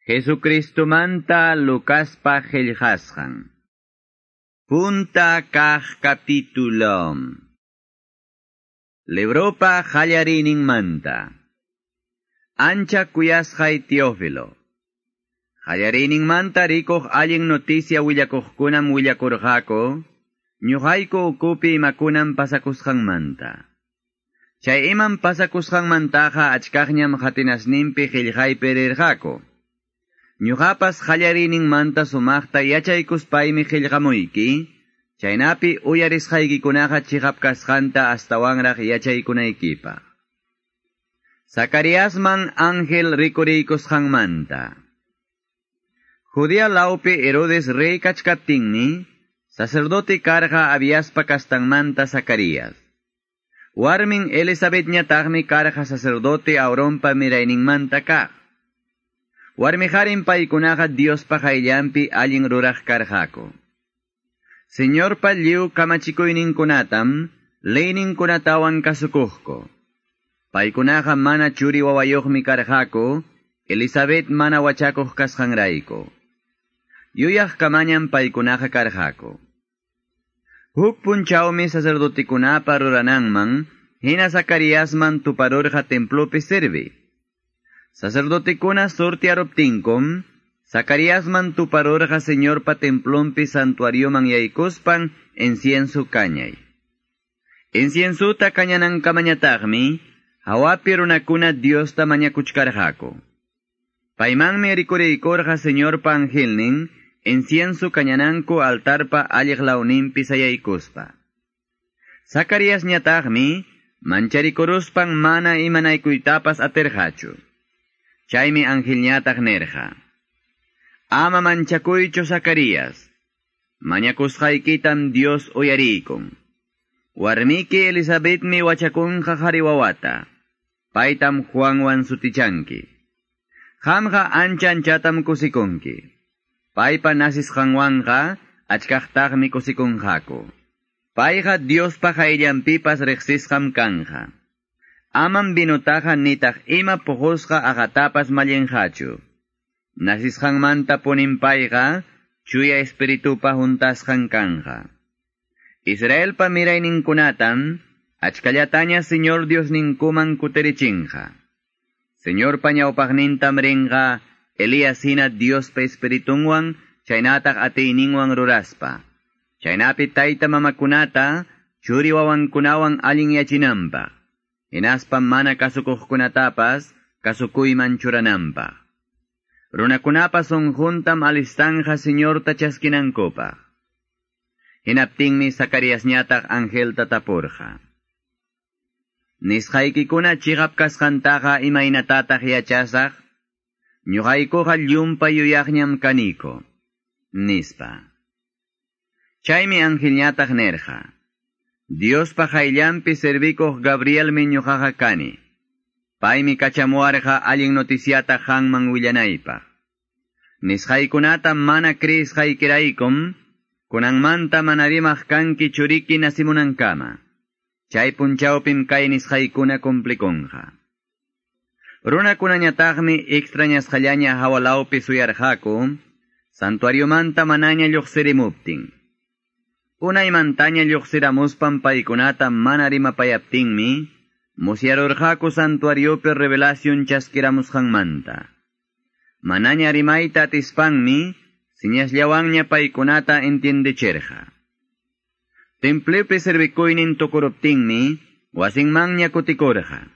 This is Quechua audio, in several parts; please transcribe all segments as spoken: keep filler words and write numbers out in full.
Jesucristomanta Lucaspa qillqasqan. Punta kaq capítulo. Libropa qallariyninmanta. Ancha kuyasqay Teófilo. Qallariyninmanta rikuq allin noticia willakuqkunam willakurqaku, ñuqayku ukupi imakunam pasakusqanmanta. Chay imam pasakusqanmantaqa achkaqñam qatinasninpi qillqaypi rirqaku. Ñuqapas qallariyninmanta sumaqta yachaykuspaymi qillqamuyki, chaynapi uyarisqaykikunaqa chiqap kasqanta astawanraq yachaykunaykipaq. Zacariasman ángel rikuriykusqanmanta. Judea lawpi Herodes rey kachkaptinmi, sacerdote karqa Abiaspa kastanmanta Zacarías. Warmin Elisabetñataqmi karqa sacerdote Aaronpa mirayninmanta kaq. Warmiqarin paykunaqa Diospa qayllanpi allin ruraq karqaku. Señorpa lliw kamachikuyninkunatam leyninkunatawan kasukuqku. Paykunaqa mana churi wawayuqmi karqaku, Elisabet mana wachakuq kasqanrayku. Yuyaq kamañam paykunaqa karqaku. Huk punchawmi sacerdotekunapa rurananman, hina Zacariasman tuparurqa templopi sirvi. Sacerdotekuna sortiaruptinkum, Zacariasman tuparurqa Señorpa templonpi santuarioman yaykuspan incienso kañay. Inciensuta kañanankamañataqmi, hawapi runakuna Diosta mañakuchkarqaku. Paymanmi rikuriykurqa Señorpa angelnin, incienso kañananku altarpa alliq lawninpi sayaykuspa. Zacariasñataqmi, mancharikuruspan mana imanaykuytapas atirqachu. Chaymi angelñataq nirqa: Ama manchakuychu Zacarías, mañakusqaykitam Dios uyariykun. Warmiki Elisabetmi wachakunqa qhari wawata, paytam Juanwan sutichanki. Qamqa ancha anchatam kusikunki. Paypa nasisqanwanqa achkaqtaqmi kusikunqaku. Payqa Diospa qayllanpipas riqsisqam kanqa. Amam vinutaqa nitaq ima puqusqa aqatapas mallinqachu. Nasisqanmanta punin payqa chuya espiritupa huntasqan kanqa. Israelpa mirayninkunatam achkallataña Señor Diosninkuman kutirichinqa. Señorpa ñawpaqnintam rinqa Elías hina Diospa espiritunwan chaynataq atiyninwan ruraspa. Chaynapi tayta mamakunata churi wawankunawan allinyachinanpaq. Hinaspa mana kasukuqkunatapas kasukuyman churananpaq. Runakunapa sunquntam alistanja Señorta chaskinankupaq. Hinaptinmi Zacariasñataq angelta tapurqa: Nisqaykikuna chiqap kasqantaqa imaynatataq yachasaq? Ñuqaykuqa llumpay yuyaqñam kaniko, nispa. Chaymi angelñataq nirqa: Diospa qayllanpi servikuq Gabrielmi ñuqaqa kani. Paymi kachamuwarqa allin noticiata qanman willanaypaq. Nisqaykunata mana creesqaykiraykum, kunanmanta mana rimaq kanki churiki nasimunankama. Chay punchawpim kay nisqaykuna cumplikunqa. Runakunañataqmi extrañasqallaña hawalawpi suyarqaku, santuariomanta manaña lluqsirimuptin. Unaymantaña lluqsiramuspan paykunata mana rimapayaptinmi, musyarurqaku santuariopi revelación chaskiramusqanmanta. Manaña rimayta atispanmi, siñasllawanña paykunata entiendechirqa. Templopi servikuynin tukuruptinmi, wasinmanña kutikurqa.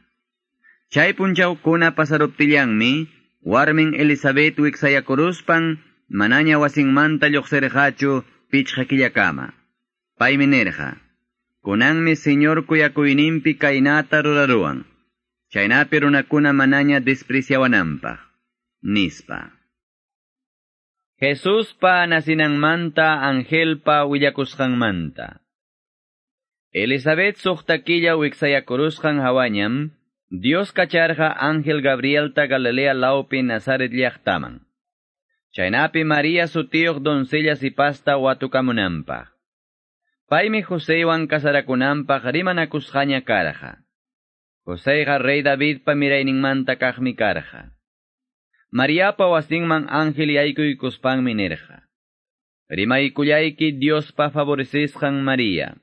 Chay punchawkuna pasaruptillanmi, warmin Elisabet wiksayakuruspan, manaña wasinmanta lluqsirqachu pichqa killakama. Paymi nirqa: Kunanmi Señor kuyakuyninpi kaynata ruraruwan, chaynapi runakuna manaña despreciawananpaq, nispa. Jesuspa nasinanmanta angelpa willakusqanmanta. Elisabet suqta killa wiksayakurusqan hawañam, Dios kacharqa ángel Gabrielta Galilea lawpi Nazaret llaqtaman. Chaynapi María sutiyuq doncella sipasta watukamunanpaq. Paymi Joseywan kasarakunanpaq rimanakusqaña karqa. Joseyqa rey Davidpa mirayninmanta kaqmi karqa. Mariapa wasinman ángel yaykuykuspanmi nirqa. Rimaykullayki Diospa favorecisqan María.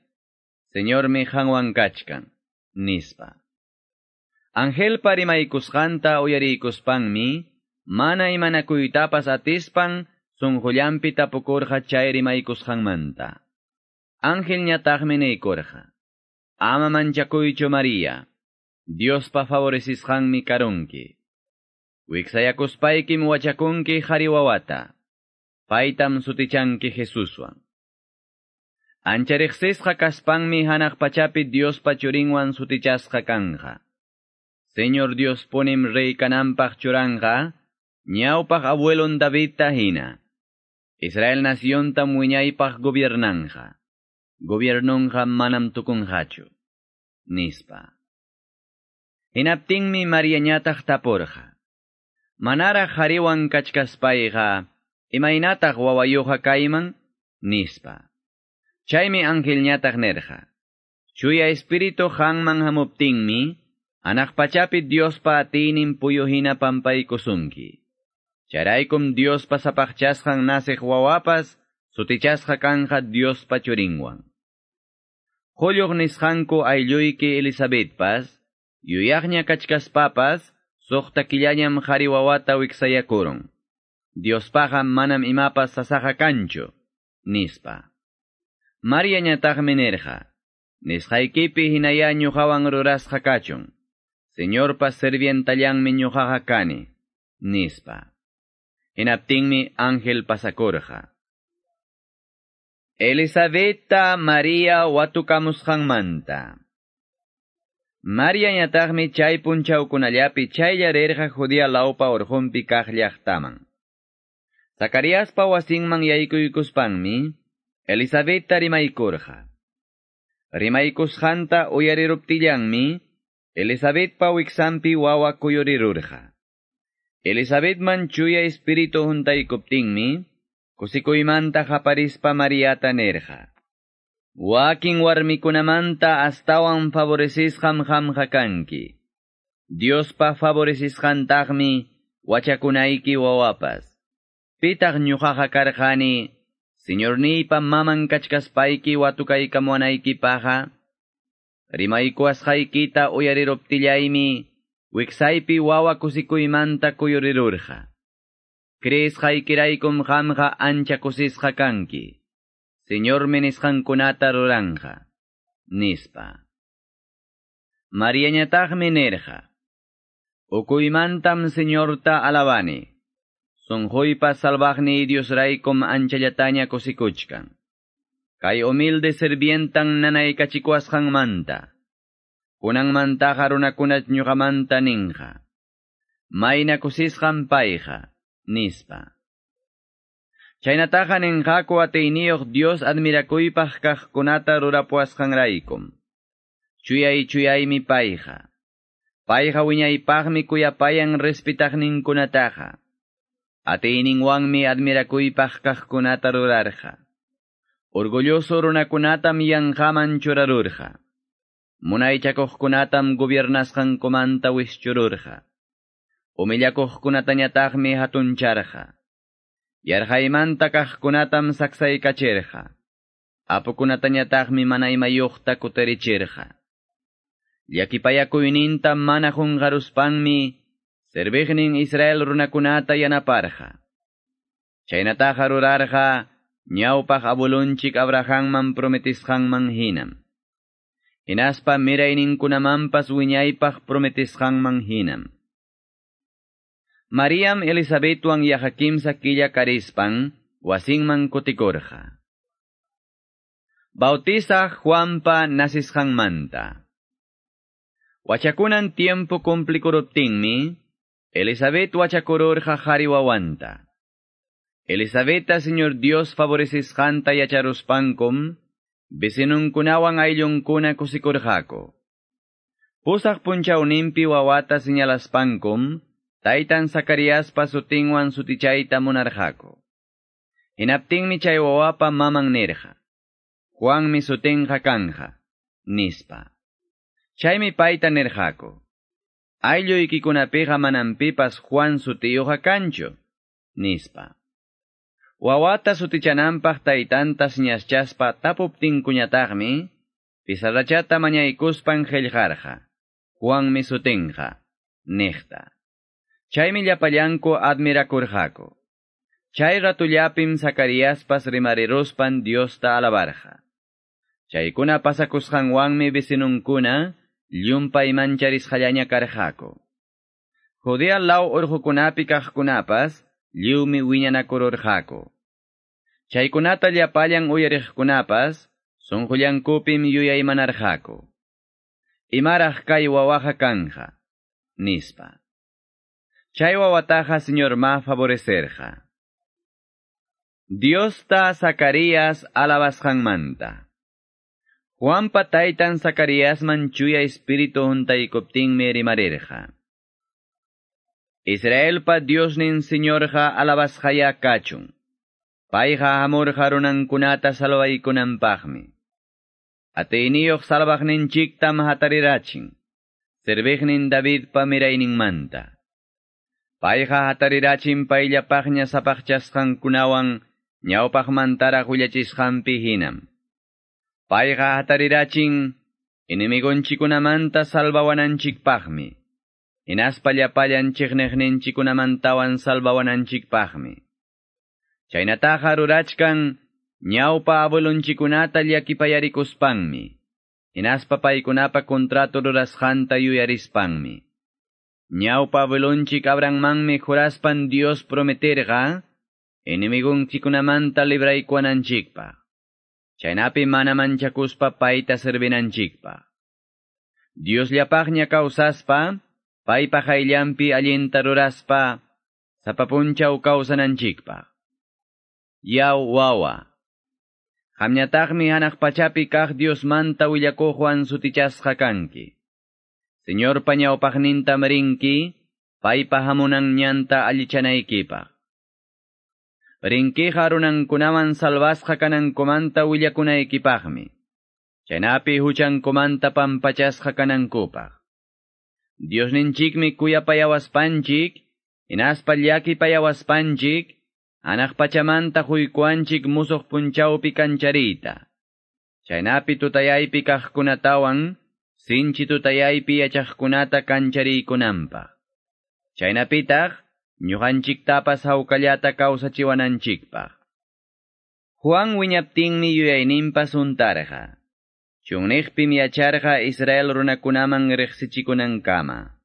Señormi qanwan kachkan, nispa. Angelpa rimaykusqanta uyariykuspanmi, mana imanakuytapas atispan sunqullanpi tapukurqa chay rimaykusqanmanta. Angelñataqmi niykurqa. Ama manchakuychu María, Diospa favorecisqanmi karunki. Wiksayakuspaykim wachakunki qhari wawata. Paytam sutichanki Jesuswan. Ancha riqsisqa kaspanmi hanaq pachapi Diospa churinwan sutichasqa kanja. Señor Dios punim rey kananpaq churanqa, ñawpaq abuelon Davidta hina. Israel naciontam wiñaypaq gobiernanja. Gobiernonqa manam tukunqachu. Nispa. Hinaptinmi Mariañataq tapurqa. Manaraq qhariwan kachkaspayqa, imaynataq wawayuqa kayman? Nispa. Chaymi angelñataq nirqa. Chuya espíritu qamman hamuptinmi, hanaq pachapi Diospa atiynin puyu hina pampaykusunki. Chayraykum Diospa sapaqchasqan naciq wawapas, sutichasqa kanja Diospa churinwan. Qulluq nisqanku aylluyki Elizabethpas, yuyaqña kachkaspapas, suqta killañam qhari wawata wiksayakurun. Diospaqa manam imapas sasaqa kanchu, nispa. Mariañataqmi nirqa, nisqaykipi hinaya ñuqawan rurasqa kachun. Señorpa sirvientallanmi ñuqaqa kani, nispa. Hinaptinmi ángel pasakurqa. Elisabetta Maria watukamusqanmanta. Mariañataqmi chay punchawkunallapi chaylla rirqa Judea lawpa urqunpi kaq llaqtaman. Zacariaspa wasinman yaykuykuspanmi, Elisabetta rimaykurqa. Rimaykusqanta uyariruptillanmi, Elisabetpa wiksanpi wawa kuyurirurqa. Elisabetman chuya espíritu huntaykuptinmi, kusikuymanta qaparispa Mariata nirqa. Wakin warmikunamanta astawan favorecisqam qamqa kanki. Diospa favorecisqantaqmi wachakunayki wawapas. Pitaq ñuqaqa karqani, Señorniypa maman kachkaspayki watukaykamuwanaykipaqa, rimaykuwasqaykita uyariruptillaymi, wiksaypi wawa kusikuymanta kuyurirurqa. Creesqaykiraykum qamqa ancha kusisqa kanki. Señormi nisqankunata ruranja, nispa. Mariañataqmi nirqa. Ukuymantam Señorta alabani. Sunquypa salvaqniy Diosraykum anchallataña kusikuchkan. Kay humilde sirvientan nanaykachikuwasqanmanta. Kunanmantaqa runakunach ñuqamanta ninqa. Mayna kusisqan payqa, nispa. Chaynataqa ninqaku atiyniyuq Dios admirakuypaq kaqkunata rurapuwasqanraykum. Chuyay chuyaymi payqa. Payqa wiñaypaqmi kuyapayan respetaqninkunataqa. Atiyninwanmi admirakuypaq kaqkunata rurarqa. Orgulloso runakunatam yanqaman churarurqa. Munaychakuqkunatam gobiernasqankumanta wischururqa. Humillakuqkunatañataqmi hatuncharqa. Yarqaymanta kaqkunatam saksaykachirqa. Apukunatañataqmi mana imayuqta kutirichirqa. Llakipayakuyninta mana qunqaruspanmi, serviqnin Israel runakunata yanaparqa. Chaynataqa rurarqa, ñawpaq abuelunchik Abrahamman prometisqanman hinam. Hinaspa mirayninkunamanpas wiñaypaq prometisqanman hinam. Mariam Elisabetwan yaqa kimsa killa karispan, wasinman kutikurqa. Bautizaq Juanpa nacisqanmanta. Wachakunan tiempo cumplikuruptinmi, Elisabet wachakururqa qhari wawanta. Elisabetta Señor Dios favorecisqanta yacharuspankum, vecinunkunawan ayllunkuna kusikurqaku. Pusaq punchawninpi wawata señalaspankum, taytan Zacariaspa sutinwan sutichayta munarqaku. Hinaptinmi chay wawapa maman nirqa. Juanmi sutinqa kanja, nispa. Chaymi payta nirqaku. Aylluykikunapiqa manam pipas Juan sutiyuqqa kanchu, nispa. Wawata sutichananpaq taytanta siñaschaspa tapuptinkuñataqmi, pizarrachata mañaykuspan qillqarqa, Juanmi sutinqa, niqta. Chaymi llapallanku admirakurqaku. Chay ratullapim Zacariaspas rimariruspan Diosta alabarqa. Chaykuna pasakusqanwanmi vecinunkuna llumpay mancharisqallaña karqaku. Judea law urqukunapi kaqkunapas lliwmi wiñanakururqaku. Chaykunata llapallan uyariqkunapas sunqullankupim yuyaymanarqaku. Imaraq kay wawaqa kanja, nispa. Chay wawataqa Señor ma favorecerqa. Diosta Zacarías alabasqanmanta. Juanpa taytan Zacariasman chuya espíritu huntaykuptinmi rimarirqa. Israelpa Diosnin Señorqa alabasqaya kachun. Payqa hamurqa runankunata salvaykunanpaqmi. Atiyniyuq salvaqninchiktam hatarirachin. Serviqnin Davidpa mirayninmanta. Payqa hatarirachin payllapaqña sapaqchasqankunawan ñawpaqmantaraq willachisqanpi hinam. Payqa hatarirachin enemigonchikunamanta salvawananchikpaqmi. Hinaspa llapallan chiqniqninchikunamantawan salvawananchikpaqmi. Chaynataqa rurachkan ñawpa abuelonchikunata llakipayarikuspanmi. Hinaspa paykunapa contrato rurasqanta yuyarispanmi. Ñawpa abuelonchik Abrahammanmi juraspan Dios prometerqa enemigonchikunamanta libraykuwananchikpaq. Chaynapi mana manchakuspa payta servinanchikpaq. Diosllapaqña kawsaspa, paypa qayllanpi allinta ruraspa, sapa punchaw kawsananchikpaq. Yaw wawa. Qamñataqmi hanaq pachapi kaq Diosmanta willakuqwan sutichasqa kanki. Señorpa ñawpaqnintam rinki, paypa hamunan ñanta allichanaykipaq. Rinkiqa runankunaman salvasqa kanankumanta willakunaykipaqmi. Chaynapi huchankumanta pampachasqa kanankupaq. Diosninchikmi kuyapayawaspanchik, hinaspa llakipayawaspanchik, hanaq pachamanta huykuanchik musuq punchawpi kanchariyta. Chaynapi tutayaypi kaqkunatawan, sinchi tutayaypi yachaqkunata kanchariykunanpaq. Chaynapitaq, ñuqanchiktapas hawkallata kawsachiwananchikpaq. Juan wiñaptinmi yuyayninpas huntarqa. Chunniqpim yacharqa Israel runakunaman riqsichikunankama.